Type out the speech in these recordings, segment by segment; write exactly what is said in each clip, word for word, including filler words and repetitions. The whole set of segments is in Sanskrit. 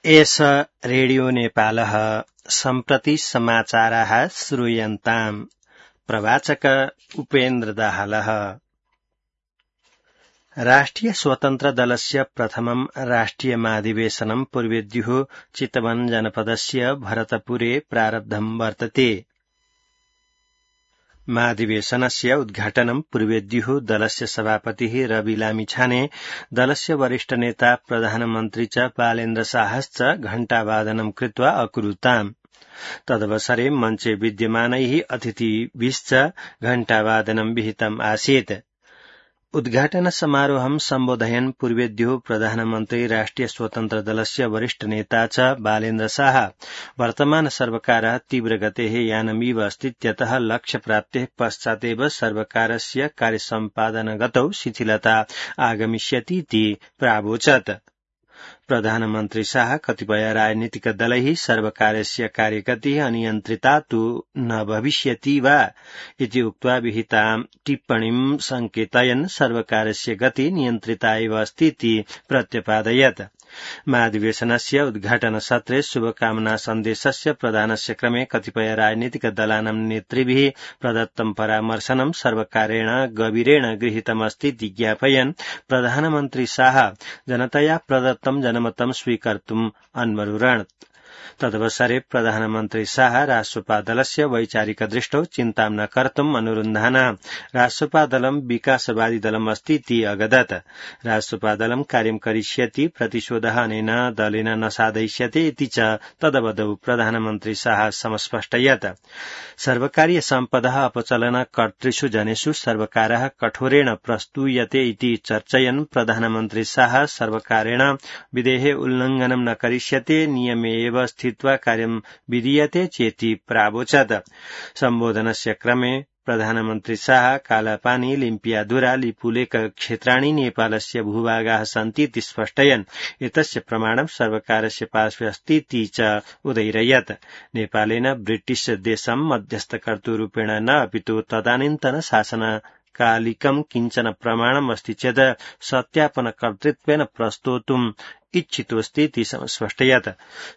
एष रेडियो नेपालः सम्प्रति समाचाराः श्रूयन्ताम्। प्रवाचक उपेन्द्र दाहालः। राष्ट्रिय स्वतन्त्र दलस्य प्रथमं राष्ट्रिय महाधिवेशनं पूर्वेद्युः चितवन जनपदस्य भरतपुरे प्रारब्धं वर्तते। महाधिवेशनस्य उद्घाटनं पूर्वेद्युः दलस्य सभापतिः रवि लामिछाने, दलस्य वरिष्ठ नेता प्रधानमन्त्री च बालेन्द्र शाहश्च घण्टावादनं कृत्वा अकुरुताम्। तदवसरे मञ्चे विद्यमानैः अतिथिभिश्च घण्टावादनं विहितम् आसीत्। उद्घाटन समारोहं सम्बोधयन् पूर्वेद्युः प्रधानमन्त्री राष्ट्रिय स्वतन्त्र दलस्य वरिष्ठ नेता च बालेन्द्र शाह, वर्तमान सर्वकारः तीव्रगतेः यानमिव अस्तीत्यतः लक्ष्यप्राप्तेः पश्चादेव सर्वकारस्य कार्यसम्पादनगतौ शिथिलता आगमिष्यतीति प्रावोचत्। प्रधानमन्त्री शाह कतिपय राजनीतिक दलैः सर्वकारस्य कार्यगतिः अनियन्त्रिता तु न भविष्यति वा इति उक्त्वा विहितां टिप्पणीं संकेतयन् सर्वकारस्य गति नियन्त्रिता एव अस्तीति प्रत्यपादयत्। महाधिवेशनस्य उद्घाटन सत्रे शुभकामना सन्देशस्य प्रदानस्य क्रमे कतिपय राजनीतिक दलानां नेतृभिः प्रदत्तं परामर्शनं सर्वकारेण गभीरेण गृहीतमस्तीति ज्ञापयन् प्रधानमन्त्री शाह जनतया प्रदत्तं जनमतं स्वीकर्तुम् अन्वरुणत्। तदवसरे प्रधानमन्त्री शाह राष्ट्रपा दलस्य वैचारिक दृष्टौ चिन्तां न कर्तुम् अनुरुन्धाना। राष्ट्रपा दलं विकासवादी दलम् अस्तीति अगदत्। राष्ट्रपा दलं कार्यं करिष्यति, प्रतिशोधः अनेन दलेन न साधयिष्यते इति च तदवधौ प्रधानमन्त्री शाह समस्पष्टयत्। सर्वकारीय सम्पदः अपचलन कर्तृषु जनेषु सर्वकारः कठोरेण प्रस्तूयते इति चर्चयन् प्रधानमन्त्री शाह सर्वकारेण विधेः उल्लङ्घनं न करिष्यते, नियमे एव स्थित्वा कार्यं विधीयते चेति प्रावोचत्। सम्बोधनस्य क्रमे प्रधानमन्त्री शाह कालापानी, लिम्पियाधुरा, लिपुलेख क्षेत्राणि नेपालस्य भूभागाः सन्तीति स्पष्टयन् एतस्य प्रमाणं सर्वकारस्य पार्श्वे अस्तीति च उदैरयत्। नेपालेन ब्रिटिश देशं मध्यस्थकर्तृरूपेण न अपितु तदानीन्तन शासन कालिकं किञ्चन प्रमाणम् अस्ति चेत् सत्यापनकर्तृत्वेन प्रस्तोतुम् इच्छितोऽस्तीति स्पष्टयत्।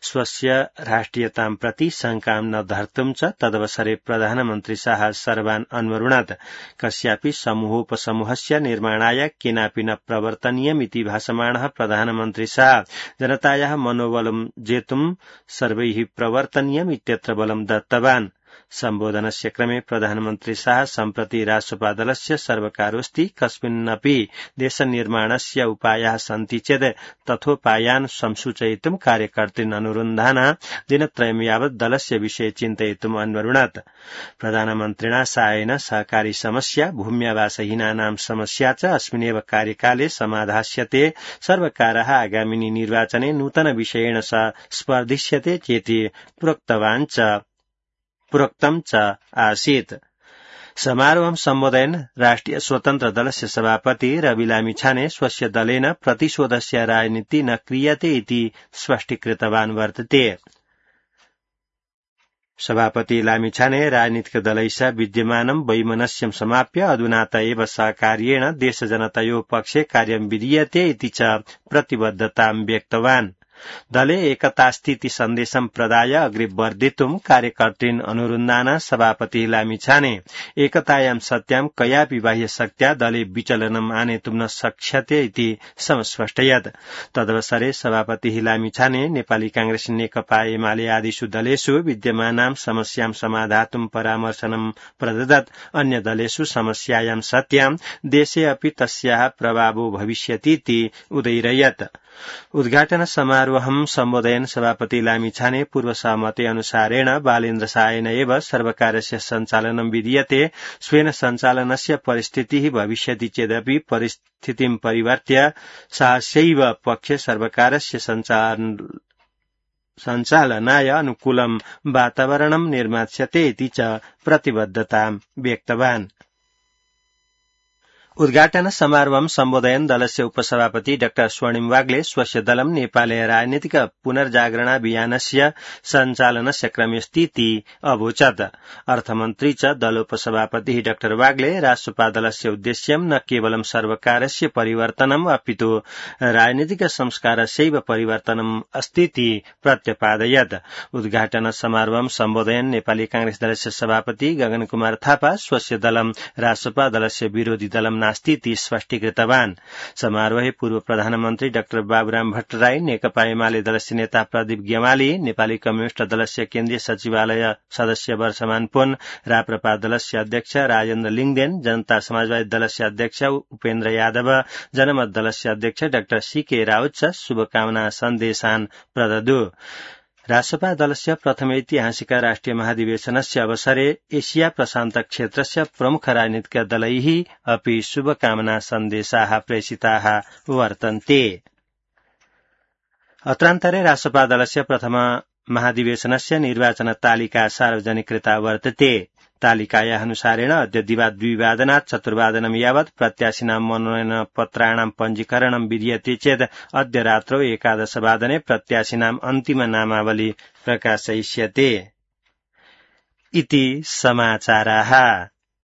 स्वस्य राष्ट्रियतां प्रति शङ्कां न धर्तुं च तदवसरे प्रधानमन्त्री शाह सर्वान् अन्वरुणत्। कस्यापि समूहोपसमूहस्य निर्माणाय केनापि न प्रवर्तनीयमिति भाषमाणः प्रधानमन्त्री शाह जनतायाः मनोबलं जेतुं सर्वैः प्रवर्तनीयम् इत्यत्र बलं दत्तवान्। सम्बोधनस्य क्रमे प्रधानमन्त्री शाह सम्प्रति राष्ट्रपा दलस्य सर्वकारोऽस्ति, कस्मिन्नपि देशनिर्माणस्य उपायाः सन्ति चेत् तथोपायान् संसूचयितुं कार्यकर्तॄन् अनुरुन्धाना दिनत्रयं यावत् दलस्य विषये चिन्तयितुम् अन्वरुणत्। प्रधानमन्त्रिणा शाहेन सहकारी समस्या, भूम्यावासहीनानां समस्या च अस्मिन्नेव कार्यकाले समाधास्यते। सर्वकारः आगामिनि निर्वाचने नूतन विषयेण स स्पर्धिष्यते चेति प्रोक्तवान् च प्रोक्तं च आसीत्। समारोहं सम्बोधयन् राष्ट्रिय स्वतन्त्र दलस्य सभापति रवि लामिछाने स्वस्य दलेन प्रतिशोधस्य राजनीति न क्रियते इति स्पष्टीकृतवान् वर्तते। सभापति लामिछाने राजनीतिक दलैः विद्यमानं वैमनस्यं समाप्य अधुनात एव सहकार्येण देशजनतयोः पक्षे कार्यं विधीयते इति च प्रतिबद्धतां व्यक्तवान्। दले एकतास्तीति सन्देशं प्रदाय अग्रे वर्धितुं कार्यकर्तॄन् अनुरुन्धाना सभापति लामिछाने एकतायां सत्यां कयापि बाह्यशक्त्या दले विचलनम् आनेतुं न शक्ष्यते इति समस्पष्टयत्। तदवसरे सभापति लामिछाने नेपाली कांग्रेस, नेकपा एमाले आदिषु दलेषु विद्यमानां समस्यां समाधातुं परामर्शनं प्रददत्। अन्य दलेषु समस्यायां सत्यां देशे अपि तस्याः प्रभावो भविष्यतीति उदैरयत्। उद्घाटन समारोहं सम्बोधयन् सभापति लामिछाने पूर्वसहमति अनुसारेण बालेन्द्र शाहेन एव सर्वकारस्य सञ्चालनं विधीयते। स्वेन सञ्चालनस्य परिस्थितिः भविष्यति चेदपि परिस्थितिं परिवर्त्य शाहस्यैव पक्षे सर्वकारस्य सञ्चालनाय अनुकूलं वातावरणं निर्मास्यते इति च प्रतिबद्धतां व्यक्तवान्। उद्घाटन समारोहं सम्बोधयन् दलस्य उपसभापति डाक्टर स्वर्णिम वाग्ले स्वस्य दलं नेपाले राजनीतिक पुनर्जागरणाभियानस्य सञ्चालनस्य क्रमे स्थिति अवोचत्। अर्थमन्त्री च दलोपसभापति डाक्टर वाग्ले राष्ट्रपा दलस्य उद्देश्यं न केवलं सर्वकारस्य परिवर्तनम् अपितु राजनीतिक संस्कारस्यैव परिवर्तनम् अस्तीति प्रत्यपादयत्। उद्घाटन समारोहं सम्बोधयन् नेपाली कांग्रेस दलस्य सभापति गगन कुमार थापा स्वस्य दलं राष्ट्रपा दलस्य विरोधी दलं नास्तीति स्पष्टीकृतवान्। समारोहे पूर्व प्रधानमन्त्री डाक्टर बाबुराम भट्टराई, नेकपा एमाले दलस्य नेता प्रदीप गेवाली, नेपाली कम्युनिष्ट दलस्य केन्द्रीय सचिवालय सदस्य वर्षमान पुन, राप्रपा दलस्य अध्यक्ष राजेन्द्र लिङदेन, जनता समाजवादी दलस्य अध्यक्ष उपेन्द्र यादव, जनमत दलस्य अध्यक्ष डाक्टर सीके राउत च शुभकामना सन्देशान् प्रददु। राष्ट्रपा दलस्य प्रथम ऐतिहासिक राष्ट्रिय महाधिवेशनस्य अवसरे एशिया प्रशान्त क्षेत्रस्य प्रमुख राजनीतिक दलैः अपि शुभकामना सन्देशाः प्रेषिताः वर्तन्ते। अत्रान्तरे राष्ट्रपा दलस्य प्रथम महाधिवेशनस्य निर्वाचन तालिका सार्वजनिकृता वर्तते। तालिकाया अनुसारेण अद्य दिवा द्विवादनात् चतुर्वादनं यावत् प्रत्याशिनां मनोनयन पत्राणां पञ्जीकरणं विधीयते चेत् अद्य रात्रौ एकादशवादने प्रत्याशिनाम् अन्तिम नामावली प्रकाशयिष्यते। इति समाचाराः।